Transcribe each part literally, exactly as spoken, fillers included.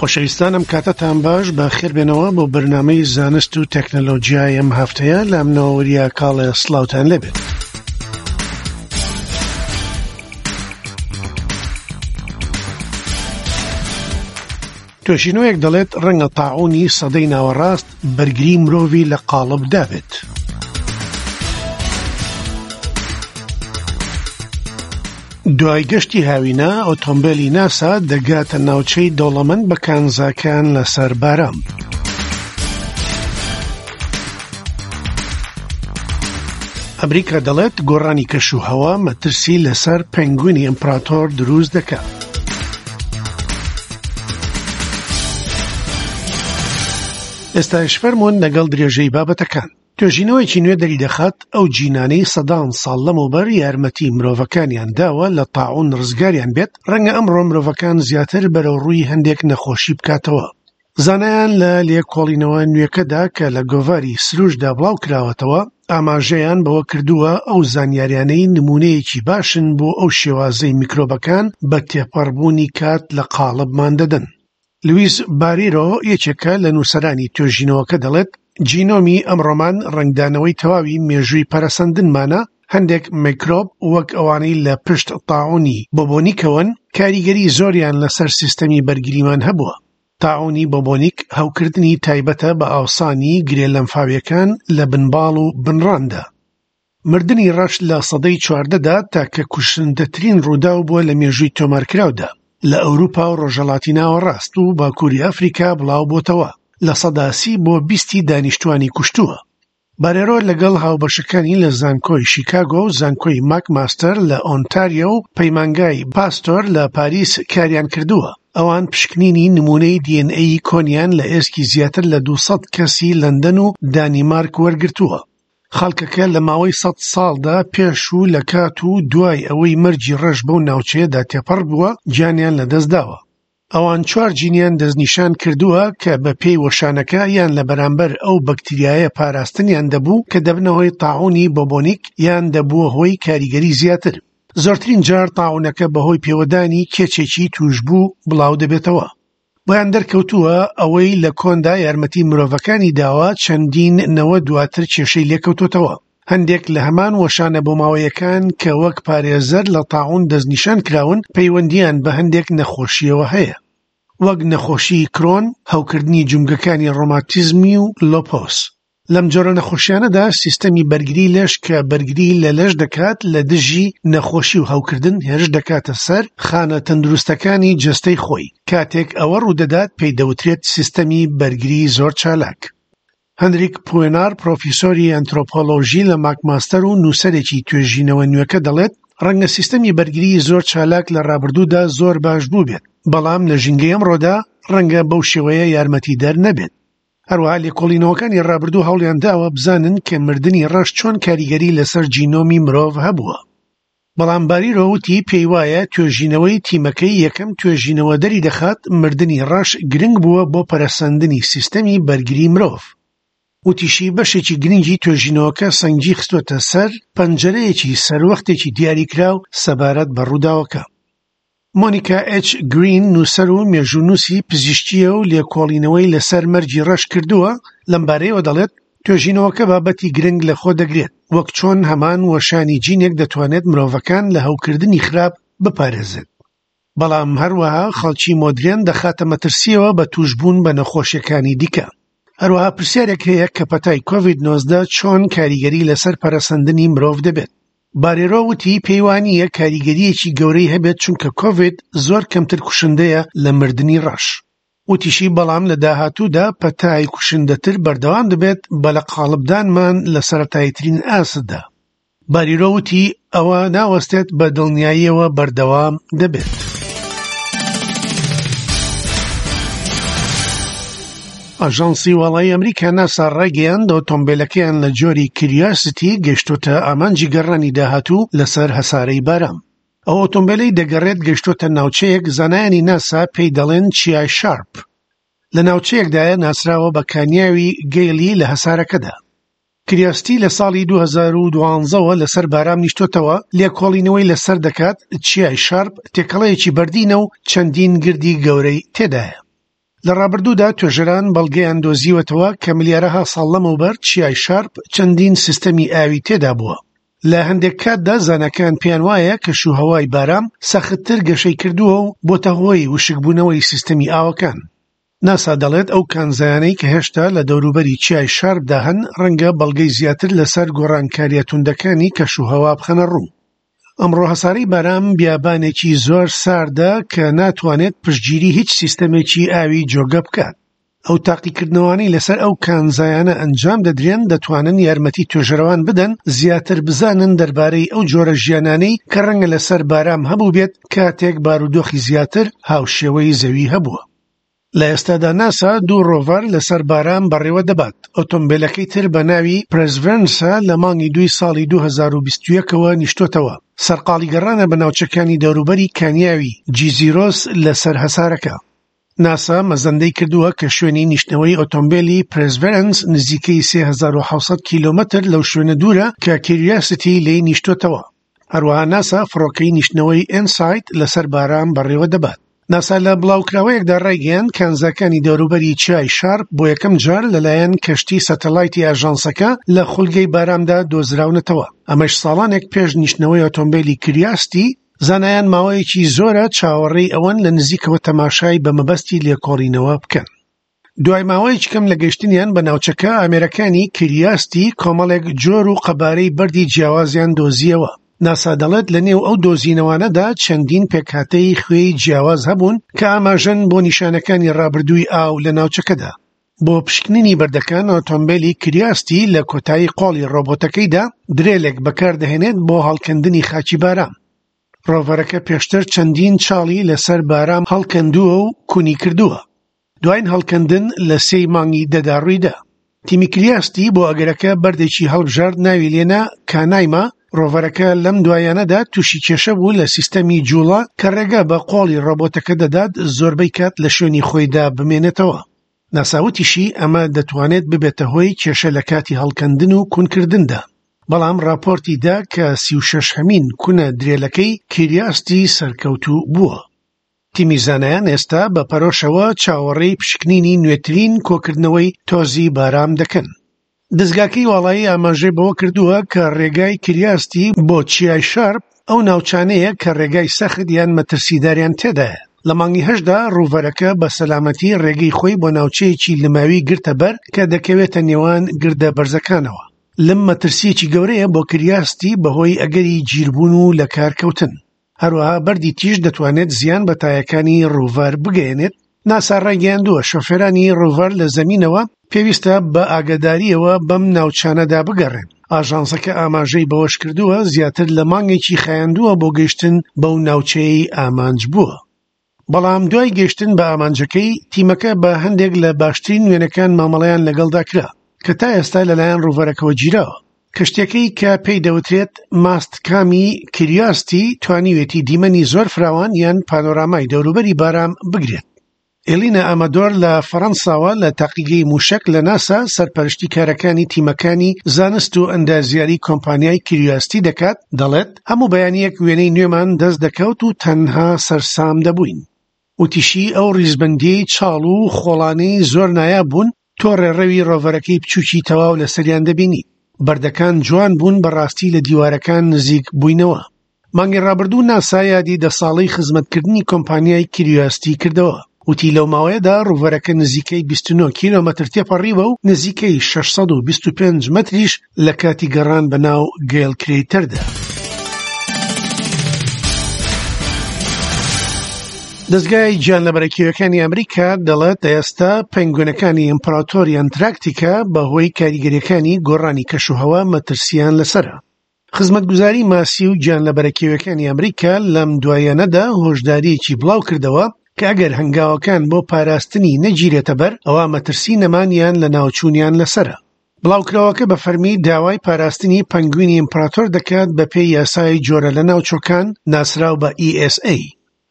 خۆشەویستانم، کاتتان باش، بە خێربێنەوە بۆ بەرنامەی زانست و تەکنەلۆژیای ئەم هەفتەیە. لە منەوە وریا کاڵێ سڵاوتان لێبێت. توێژینەوەیەک دەڵێت ڕەنگە تاعونی سەدەی ناوەڕاست بەرگری مرۆڤی لە قاڵب دابێت. دوای گەشتی هاوینە، ئۆتۆمبیلی ناسا دەگاتە ناوچەی دەوڵەمەند بە کانزاکان لەسەر بارام. ئەمریکا دەڵێت گۆڕانی کەش و هەوا مەترسی لەسەر پەنگوینی ئیمپراتۆر دروست دەکات. ئێستاش فەرمونون لەگەڵ درێژەی بابەتەکان. توێژینەوەیەکی نوێ دەری دەخات ئەو جینانەی سەدان ساڵ لەمەوبەر یارمەتی مرۆڤەکانیان داوە لە تاعون ڕزگاریان بێت، ڕەنگە ئەمڕۆ مرۆڤەکان زیاتر بەرەو ڕووی هەندێک نەخۆشی بکاتەوە. زانایان لە لێکۆڵینەوە نوێکەدا کە لە گۆڤاری سروشدا بڵاو کراوەتەوە ئاماژەیان بەوە کردووە ئەو زانیاریانەی نمونەیەکی باشن بۆ ئەو شێوازەی میکرۆبەکان بە تێپەڕبوونی کات لە قاڵبمان دەدەن. لویس باریرۆ یەکێکە لە نووسەرانی توێژینەوەکە دەڵێت جینۆمی ئەمڕۆمان ڕەنگدانەوەی تەواوی مێژووی پەرەسەندنمانە. هەندێک میکرۆب وەک ئەوانەی لە پشت تاعونی بۆبۆنیکەوەن کاریگەری زۆریان لەسەر سیستەمی بەرگریمان هەبووە. تاعونی بۆبۆنیک هەوکردنی تایبەتە بە ئاوسانی گرێ لەمفاویەکان لە بنباڵ و بنڕاندا. مردنی ڕەش لە سەدەی چواردەدا تاکە کوشندەترین ڕووداو بووە لە مێژووی تۆمارکراودا لە ئەوروپا و ڕۆژهەڵاتی ناوەڕاست و باکووری ئەفریکا بڵاو بۆتەوە، لە سەدا سی بۆ بیستی دانیشتوانی کوشتووە. بارێرۆ لەگەڵ هاوبەشەکانی لە زانکۆی شیکاگۆ و زانکۆی ماکماستەر لە ئۆنتاریۆ و پەیمانگای پاستۆر لە پاریس کاریان کردووە. ئەوان پشکنینی نمونەی دی ئێن ئەی کۆنیان لە ئێسکی زیاتر لە دووسەد کەسی لەندەن و دانیمارک وەرگرتووە. خەڵکەکە لە ماوەی سەد ساڵدا پێش و لە کات و دوای ئەوەی مەرگی ڕەش بەو ناوچەیەدا تێپەڕ بووە گیانیان لەدەست داوە. ئەوان چوار جینیان دەستنیشان کردووە کە بە پێی وەشانەکە یان لە بەرامبەر ئەو بەکتریایە پاراستنیان دەبوو کە دەبنە هۆی تاعونی بۆبۆنیک یان دەبووە هۆی کاریگەری زیاتر. زۆرترین جار تاعونەکە بەهۆی پێوەدانی کێچێکی توشبوو بڵاو دەبێتەوە. بۆیان دەرکەوتووە ئەوەی لە کۆندا یارمەتی مرۆڤەکانی داوە چەندین نەوە دواتر کێشەی لێکەوتۆتەوە. هەندێک لە هەمان وەشانە بۆماوەیەکان کە وەک پارێزەر لە تاعون دەستنیشان کراون پەیوەندیان بە هەندێک نەخۆشیەوە هەیە، وەک نەخۆشی کرۆن، هەوکردنی جومگەکانی ڕۆماتیزمی و لۆپۆس. لەم جۆرە نەخۆشیانەدا سیستەمی بەرگری لەش کە بەرگری لە لەش دەکات لە دژی نەخۆشی و هەوکردن هێرش دەکاتە سەر خانە تەندروستەکانی جەستەی خۆی. کاتێک ئەوە ڕوودەدات پێی دەوترێت سیستەمی بەرگری زۆر چالاک. هەنریک پوێنار، پرۆفیسۆری ئەنترۆپۆلۆژی لە ماکماستەر و نووسەرێکی توێژینەوە نوێکە دەڵێت ڕەنگە سیستەمی بەرگری زۆر چالاک لە ڕابردوودا زۆر باش بوو بێت، بەڵام لە ژینگەی ئەمڕۆدا ڕەنگە بەو شێوەیە یارمەتی دەر نەبێت. هەروەها لێکۆڵینەوەکانی ڕابردوو هەوڵیان داوە بزانن کە مردنی ڕەش چۆن کاریگەری لەسەر جینۆمی مرۆڤ هەبووە. بەڵام باریرۆ وتی پێی وایە توێژینەوەی تیمەکەی یەکەم توێژینەوە دەری دەخات مردنی ڕەش گرنگ بووە بۆ پەرەسەندنی سیستەمی بەرگری مرۆڤ. وتیشی بەشێکی گرنگی توێژینەوەکە سەنگی خستووەتە سەر پەنجەرەیەکی سەروەختێکی دیاریکراو سەبارەت بە ڕووداوەکە. مۆنیکا ئێچ گرین نووسەر و مێژوونووسی پزیشکیە و لێکۆڵینەوەی لەسەر مەرگی ڕەش کردووە، لەمبارەیەوە دەڵێت توێژینەوەکە بابەتی گرنگ لەخۆ دەگرێت، وەک چۆن هەمان وەشانی جینێک دەتوانێت مرۆڤەکان لە هەوکردنی خراپ بپارێزێت، بەڵام هەروەها خەڵکی مۆدرێن دەخاتە مەترسیەوە بە توشبوون بە نەخۆشیەکانی دیکە. هەروەها پرسیارێک هەیە کە پەتای کۆڤید نۆزدە چۆن کاریگەری لەسەر پەرەسەندنی مرۆڤ دەبێت. بارێرۆ وتی پێیوانییە کاریگەریەکی گەورەی هەبێت چونکە کۆڤید زۆر کەمتر کوشندەیە لە مردنی ڕەش. وتیشی بەڵام لە داهاتوودا پەتای کوشندەتر بەردەوام دەبێت بە لە قاڵبدانمان لە سەرەتاییترین ئاستدا. باریرۆ وتی ئەوە ناوەستێت، بە دڵنیاییەوە بەردەوام دەبێت. ئاژانسی واڵایی ئەمریکا ناسا ڕایگەیاند ئۆتۆمبیلەکەیان لە جۆری کریاسیتی گەشتۆتە ئامانجی گەڕانی داهاتوو لەسەر هەسارەی بارام. ئەو ئۆتۆمبیلەی دەگەڕێت گەشتۆتە ناوچەیەک زانایانی ناسا پێی دەڵێن چیای شارپ. لە ناوچەیەکدایە ناسراوە بە کانیاوی گەیلی لە هەسارەکەدا. کریاستی لە ساڵی دوو هەزار و دوازدەوە لەسەر بارام نیشتۆتەوە، لێکۆڵینەوەی لەسەر دەکات. چیای شارپ تێکەڵەیەکی بەردینە و چەندین گردی گەورەی تێدایە. لە ڕابردوودا توێژەران بەڵگەیان دۆزیوەتەوە کە ملیارەها ساڵ لەمەوبەر چیای شارپ چەندین سیستەمی ئاوی تێدا بووە. لە هەندێک کاتدا زاناکان پێیان وایە کەشوهەوای بارام سەختتر گەشەی کردووە و بۆتە هۆی وشکبوونەوەی سیستەمی ئاوەکان. ناسا دەڵێت ئەو کانزایانەی کە هێشتا لە دەوروبەری چیای شارپدا هەن ڕەنگە بەڵگەی زیاتر لەسەر گۆڕانکاریە توندەکانی کەشوهەوا بخەنە ڕوو. ئەمڕۆ هەسارەی بارام بیابانێکی زۆر ساردە کە ناتوانێت پشتگیری هیچ سیستەمێکی ئاوی جۆگە بکات. ئەو تاقیکردنەوانەی لەسەر ئەو کانزایانە ئەنجام دەدرێن دەتوانن یارمەتی توێژەرەوان بدەن زیاتر بزانن دەربارەی ئەو جۆرە ژیانانەی کە ڕەنگە لەسەر بارام هەبوو بێت کاتێک بارودۆخی زیاتر هاوشێوەی زەوی هەبووە. لە ئێستادا ناسا دوو ڕۆڤەر لەسەر بارام بەڕێوە دەبات. ئۆتۆمبیلەکەی تر بە ناوی پرێسڤێرنسە لە مانگی دووی ساڵی دوو هەزار و بیست و یەکەوە نیشتۆتەوە. سەرقاڵی گەڕانە بە ناوچەکانی دەوروبەری کانیاوی جیزیرۆس لەسەر هەسارەکە. ناسا مەزەندەی کردووە کە شوێنی نیشتنەوەی ئۆتۆمبیلی پرێسڤێرنس نزیکەی سێ هەزار و حەوت سەد کیلۆمەتر لەو شوێنە دوورە کە کیریاسیتی لێی نیشتۆتەوە. هەروەها ناسا فڕۆکەی نیشتنەوەی ئینسایت لەسەر بارام بەڕێوە دەبات. ناسا لە بڵاوکراوەیەکدا ڕایگەیاند کانزاکانی دەوروبەری چیای شارپ بۆ یەکەم جار لەلایەن کەشتی سەتەلایتی ئاژانسەکە لە خولگەی بارامدا دۆزراونەتەوە. ئەمەش ساڵانێک پێش نیشتنەوەی ئۆتۆمبیلی کریاستی، زانایان ماوەیەکی زۆرە چاوەڕێی ئەوەن لە نزیکەوە تەماشای بە مەبەستی لێکۆڵینەوە بکەن. دوای ماوەیەکی کەم لە گەیشتنیان بە ناوچەکە، ئامێرەکانی کریاستی کۆمەڵێک جۆر و قەبارەی بەردی جیاوازیان دۆزیەوە. ناسا دەڵێت لە نێو ئەو دۆزینەوانەدا چەندین پێکهاتەی خوێی جیاواز هەبوون کە ئاماژەن بۆ نیشانەکانی ڕابردووی ئاو لە ناوچەکەدا. بۆ پشکنینی بەردەکان ئۆتۆمبیلی کریاستی لە کۆتایی قۆڵی ڕۆبۆتەکەیدا درێلێک بەکاردەهێنێت بۆ هەڵکەندنی خاکی بارام. ڕۆڤەرەکە پێشتر چەندین چاڵی لەسەر بارام هەڵکەندووە و کونی کردووە. دوایین هەڵکەندن لە سێی مانگی دەدا ڕوویدا. تیمی کریاستی بۆ ئەگەرەکە بەردێکی هەڵبژارد ناوی لێنا کانایما. ڕۆڤەرەکە لەم دوایانەدا تووشی کێشە بوو لە سیستەمی جوڵە کە ڕێگا بە قۆڵی ڕۆبۆتەکە دەدات زۆربەی کات لە شوێنی خۆیدا بمێنێتەوە. ناسا وتیشی ئەمە دەتوانێت ببێتە هۆی کێشە لە کاتی هەڵکەندن و کونکردندا. بەڵام راپۆرتی دا کە سی و شەش هەمین کونە درێلەکەی کیریاستی سەرکەوتوو بووە. تیمی زانایان ئێستا بە پەرۆشەوە چاوەڕێی پشکنینی نوێترین کۆکردنەوەی تۆزی بارام دەکەن. دەستگاکەی واڵایی ئاماژەی بەوە کردووە کە ڕێگای کریاستی بۆ چیای شارپ ئەو ناوچانەیە کە ڕێگای سەخت یان مەترسیداریان تێدایە. لە مانگی هەشتدا ڕووڤەرەکە بە سەلامەتی ڕێگەی خۆی بۆ ناوچەیەکی لماوی گرتە بەر کە دەکەوێتە نێوان گردە بەرزەکانەوە. لەم مەترسیەکی گەورەیە بۆ کریاستی بەهۆی ئەگەری گیربوون و لەکارکەوتن. هەروەها بەردی تیژ دەتوانێت زیان بە تایەکانی ڕووڤەر بگەیەنێت. ناسا ڕایگەیاندووە شۆفێرانی ڕووڤەر لە زەمینەوە پێویستە بە ئاگاداریەوە بەم ناوچانەدا بگەڕێن. ئاژانسەکە ئاماژەی بەوەش کردووە زیاتر لە مانگێکی خایاندووە بۆ گەیشتن بەو ناوچەیەی ئامانج بووە. بەڵام دوای گەیشتن بە ئامانجەکەی، تیمەکە بە هەندێک لە باشترین وێنەکان مامەڵەیان لەگەڵدا کرا کە تا ئێستا لەلایەن ڕووڤەرەکەوە گیراوە. کەشتیەکەی کە پێی دەوترێت ماستکامی کریاستی توانیوێتی دیمەنی زۆر فراوان یان پانۆرامای دەوروبەری بارام بگرێت. ئێلینا ئامادۆر لە فەڕەنساوە لە تاقیگەی موشک لە ناسا سەرپەرشتی کارەکانی تیمەکانی زانست و ئەندازیاری کۆمپانیای کریاستی دەکات، دەڵێت هەموو بەیانیەک وێنەی نوێمان دەست دەکەوت و تەنها سەرسام دەبووین. وتیشی ئەو ڕیزبەندیەی چاڵ و خۆڵانەی زۆر نایاب بوون تۆ ڕێڕەوی ڕۆڤەرەکەی بچووکی تەواو لەسەریان دەبینی. بەردەکان جوان بوون، بەڕاستی لە دیوارەکان نزیک بووینەوە. مانگی ڕابردوو ناسا یادی دە ساڵەی خزمەتکردنی کۆمپانیای کریاستی کردەوە. وتی لەو ماوەیەدا ڕووڤەرەکە نزیکەی بیست و نۆ کیلۆمەتر تێپەڕیوە و نزیکەی شەش سەد و بیست و پێنج مەتریش لە کاتی گەڕان بەناو گەیل کرەیتەردا. دەستگای گیانلەبەرە کێویەکانی ئەمریکا دەڵێت ئێستا پەنگوێنەکانی ئیمپراتۆری ئەنتراکتیکا بەهۆی کاریگەریەکانی گۆڕانی کەشوهەوا مەترسیان لەسەرە. خزمەتگوزاری ماسی و گیانلەبەرە کێویەکانی ئەمریکا لەم دوایانەدا هۆشداریەکی بڵاو کردەوە کە ئەگەر هەنگاوەکان بۆ پاراستنی نەگیرێتە بەر ئەوە مەترسی نەمانیان لە ناوچوونیان لەسەرە. بڵاوکراوەکە بە فەرمی داوای پاراستنی پەنگوینی ئیمپراتۆر دەکات بە پێی یاسای جۆرە لە ناوچۆکان ناسراو بە ئی ئێس ئەی.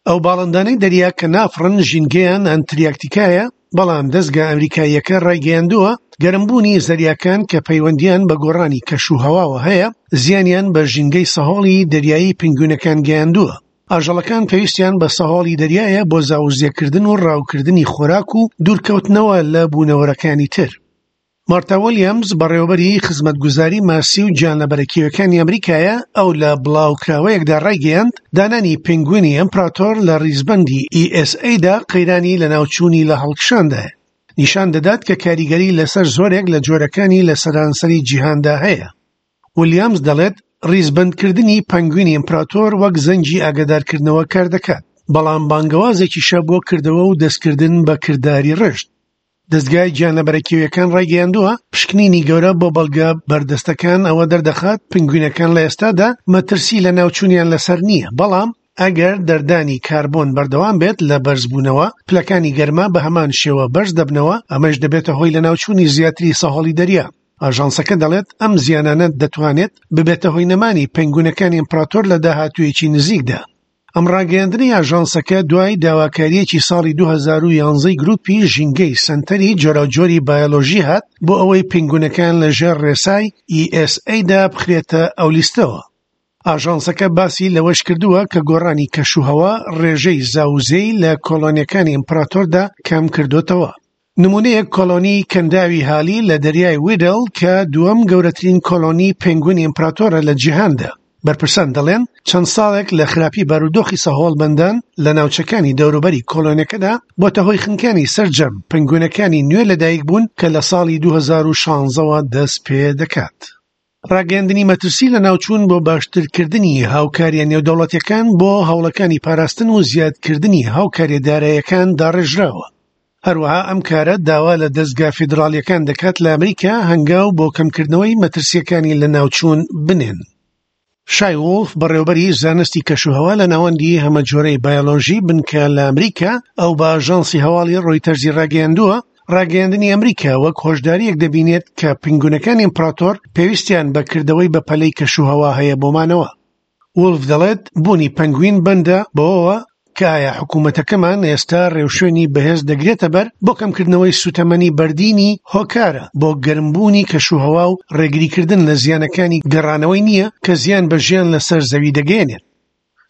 ئەو باڵندانەی دەریا کە نافڕن ژینگەیان ئەنتریاکتیکایە، بەڵام دەستگا ئەمریکاییەکە ڕایگەیاندووە گەرمبوونی زەریاکان کە پەیوەندیان بە گۆڕانی کەش و هەواوە هەیە زیانیان بە ژینگەی سەهۆڵی دەریایی پەنگوینەکان گەیاندووە. ئاژەڵەکان پێویستیان بە سەهۆڵی دەریایە بۆ زاوزێکردن و ڕاوکردنی خۆراک و دوورکەوتنەوە لە بوونەوەرەکانی تر. مارتا ویلیامز بەڕێوەبەری خزمەتگوزاری ماسی و گیانلەبەرە کێویەکانی ئەمریکایە. ئەو لە بڵاوکراوەیەکدا ڕایگەیاند دانانی پێنگوینی ئیمپراتۆر لە ڕیزبەندی E S A دا قەیرانی لەناوچوونی لە هەڵکشاندایە، نیشان دەدات کە کاریگەری لەسەر زۆرێک لە جۆرەکانی لە سەرانسەری جیهاندا هەیە. ویلیامز دەڵێت ڕیزبەندکردنی پەنگوینی ئیمپراتۆر وەک زەنگی ئاگادارکردنەوە کار دەکات، بەڵام بانگەوازێکیشە بۆ کردەوە و دەستکردن بە کرداری ڕشت. دەستگای گیانلەبەرە کێویەکان ڕایگەیاندووە پشکنینی گەورە بۆ بەڵگە بەردەستەکان ئەوە دەردەخات پنگوینەکان لە ئێستادا مەترسی لە ناوچوونیان لەسەر نییە، بەڵام ئەگەر دەردانی کاربۆن بەردەوام بێت لە بەرزبوونەوە، پلەکانی گەرما بە هەمان شێوە بەرز دەبنەوە، ئەمەش دەبێتە هۆی لەناوچوونی زیاتری سەهۆڵی دەریا. ئاژانسەکە دەڵێت ئەم زیانانە دەتوانێت ببێتە هۆی نەمانی پەنگوینەکانی ئیمپراتۆر لە داهاتوویەکی نزیکدا. ئەم ڕاگەیاندنەی ئاژانسەکە دوای داواکاریەکی ساڵی دوو هەزار و یانزە گروپی ژینگەی سەنتەری جۆراوجۆری بایۆلۆژی هات بۆ ئەوەی پەنگوینەکان لەژێر ڕێسای E S A دا بخرێتە ئەو لیستەوە. ئاژانسەکە باسی لەوەش کردووە کە گۆڕانی کەشوهەوا ڕێژەی زاوزێی لە کۆلۆنیەکانی ئیمپراتۆردا کەم کردوتەوە. نمونەیەک کۆلۆنی کەنداوی هالی لە دەریای ویدل کە دووەم گەورەترین کۆلۆنی پەنگوینی ئیمپراتۆرە لە جیهاندا. بەرپرسان دەڵێن چەند ساڵێک لە خراپی بارودۆخی سەهۆڵبەندان لە ناوچەکانی دەوروبەری کۆلۆنیەکەدا بۆتە هۆی خنکانی سەرجەم پەنگوینەکانی نوێ لەدایک بوون کە لە ساڵی دوو هەزار و شانزەوە دەست پێ دەکات. ڕاگەیاندنی مەترسی لە ناوچوون بۆ باشترکردنی هاوکاریە نێودەوڵەتیەکان بۆ هەوڵەکانی پاراستن و زیادکردنی هاوکاریە داراییەکان داڕێژراوە. هەروەها ئەم کارە داوا لە دەستگا فیدراڵیەکان دەکات لە ئەمریکا هەنگاو بۆ کەمکردنەوەی مەترسیەکانی لە ناوچوون بنێن. شای وۆڵف بەڕێوەبەری زانستی کەشوهەوا لە ناوەندی هەمەجۆرەی بایۆلۆژی بنکە لە ئەمریکا ئەو بە ئاژانسی هەواڵی ڕۆیتەرزی ڕاگەیاندووە ڕاگەیاندنی ئەمریکا وەک هۆشداریەک دەبینێت کە پەنگوینەکانی ئیمپراتۆر پێویستیان بە کردەوەی بەپەلەی کەشوهەوا هەیە بۆمانەوە. وۆڵف دەڵێت بوونی پەنگوین بەندە بەوەوە کە ئایا حکوومەتەکەمان ئێستا ڕێوشوێنی بەهێز دەگرێتە بەر بۆ کەمکردنەوەی سوتەمەنی بەردینی هۆکارە بۆ گەرمبوونی کەشوهەوا و ڕێگریکردن لە زیانەکانی گەڕانەوەی نییە کە زیان بە ژیان لەسەر زەوی دەگەیەنێت.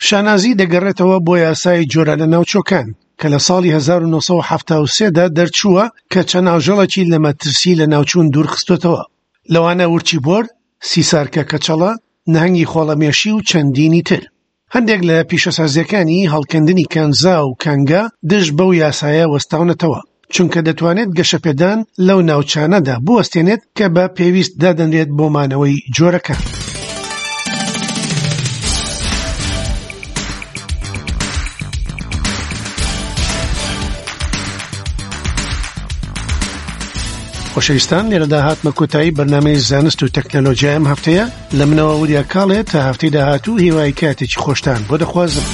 شانازی دەگەڕێتەوە بۆ یاسای جۆرە لە ناوچۆکان کە لە ساڵی هەزار و نۆ سەد و حەفتا و سێ دا دەرچووە کە چەند ئاژەڵێکی لە مەترسی لە ناوچوون دوورخستۆتەوە، لەوانە ورچی بۆر، سیسارکە کەچەڵە، نەهەنگی خۆڵەمێشی و چەندینی تر. هەندێک لە پیشەسازیەکانی هەڵکەندنی کانزا و کانگا دژ بەو یاسایە وەستاونەتەوە، چونکە دەتوانێت گەشەپێدان لەو ناوچانەدا بوەستێنێت کە بە پێویست دادەنرێت بۆ مانەوەی جۆرەکان. خۆشەویستان، لێرەدا هاتمە کۆتایی بەرنامەی زانست و تەکنەلۆژیای ئەم هەفتەیە. لە منەوە وریا کاڵێ تا هەفتەی داهاتوو هیوای کاتێکی خۆشتان بۆ دەخوازم.